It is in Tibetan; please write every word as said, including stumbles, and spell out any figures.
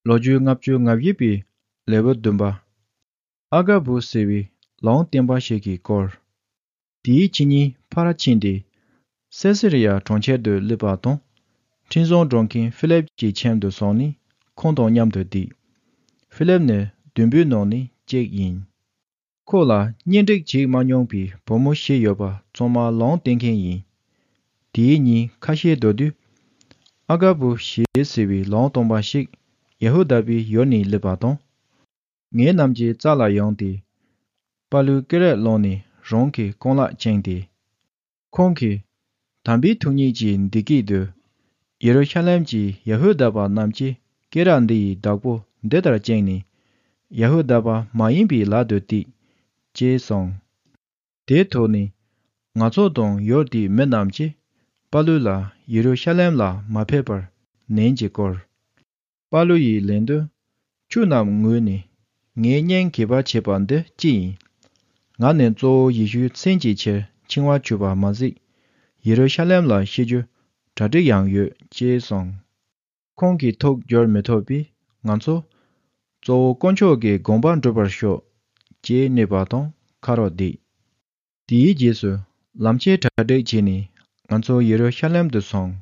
ལོ་རྒྱུས་ལྔ་བཅུ་ང་བཞི་པའི་ལེའུ་བདུན་པ། ཨ་ག་བུ་ཟེར་བའི་ལུང་སྟོན་པ་ཞིག་གི་སྐོར། དེའི་ཕྱི་ཉིན་ཕར་ཕྱིན་ཏེ། སེ་སི་རི་ཡ་གྲོང་ཁྱེར་དུ་སླེབས་པ་དང་། འཕྲིན་བཟང་སྒྲོག་མཁན་ཧྥི་ལེབ་ཀྱི་ཁྱིམ་དུ་སོང་ནས་ཁོང་དང་མཉམ་དུ་བསྡད། ཧྥི་ལེབ་ནི་བདུན་པོའི་ནང་ནས་གཅིག་ཡིན། ཁོ་ལ་གཉེན་སྒྲིག་བྱེད་མ་མྱོང་པའི་བུ་མོ་བཞི་ཡོད་པ་ཚང་མ་ལུང་སྟོན་མཁན་ཡིན། དེའི་ཉིན་ཁ་ཤས་འགྲོ་དུས། ཨ་ག་བུ་ཞེས་ཟེར་བའི་ལུང་སྟོན་པ་ཞིག་ཡ་ཧུ་དཱ་པའི་ཡུལ་ནས་སླེབས་པ་དང་། ངེད་རྣམས་ཀྱི་རྩ་ལ་ཡོང་སྟེ། པ་ལུའི་སྐེ་རགས་བླངས་ནས་རང་གི་རྐང་ལག་བཅིངས་ཏེ། ཁོང་གིས། དམ་པའི་ཐུགས་ཉིད་ཀྱིས་འདི་སྐད་དུ། ཡེ་རུ་ཤ་ལེམ་གྱི་ཡ་ཧུ་དཱ་པ་རྣམས་ཀྱིས་སྐེ་རགས་འདི་ཡི་བདག་པོ་འདི་ལྟར་བཅིངས་ནས། ཡ་ཧུ་དཱ་པ་མ་ཡིན་པའི་ལག་ཏུ་གཏད། ཅེས་གསུངས། དེའི་ཐོག་ནས། ང་ཚོ་དང་ཡུལ་དེའི་མི་རྣམས་ཀྱིས། པ་ལུ་ལ་ཡེ་རུ་ཤ་ལེམ་ལ་མ་ཕེབས་པར་ནན་གྱིས་བསྐུལ། པ་ལུ་ཡིས་ལན་དུ། ཁྱོད་རྣམས་ངུས་ནས། ངའི་སྙིང་གད་པ་བྱེད་པ་འདི་ཅི་ཡིན། ང་ནི་གཙོ་བོ་ཡེ་ཤུའི་མཚན་གྱི་ཕྱིར་འཆིང་བ་བྱུང་བ་མ་ཟད། ཡེ་རུ་ཤ་ལེམ་ལ་ཤི་རྒྱུ་གྲ་སྒྲིག་ཡང་ཡོད་ཅེས་གསུངས། ཁོང་གིས་ཐུགས་འགྱུར་མི་ཐུབ་པས་ང་ཚོ། གཙོ་བོ་དཀོན་མཆོག་གི་དགོངས་པ་འགྲུབ་པར་ཤོག་ཅེས་སྨྲས་པ་དང་ཁ་རོག་བསྡད། དེའི་རྗེས་སུ་ལམ་ཆས་གྲ་སྒྲིག་བྱས་ནས་ང་ཚོ་ཡེ་རུ་ཤ་ལེམ་དུ་སོང་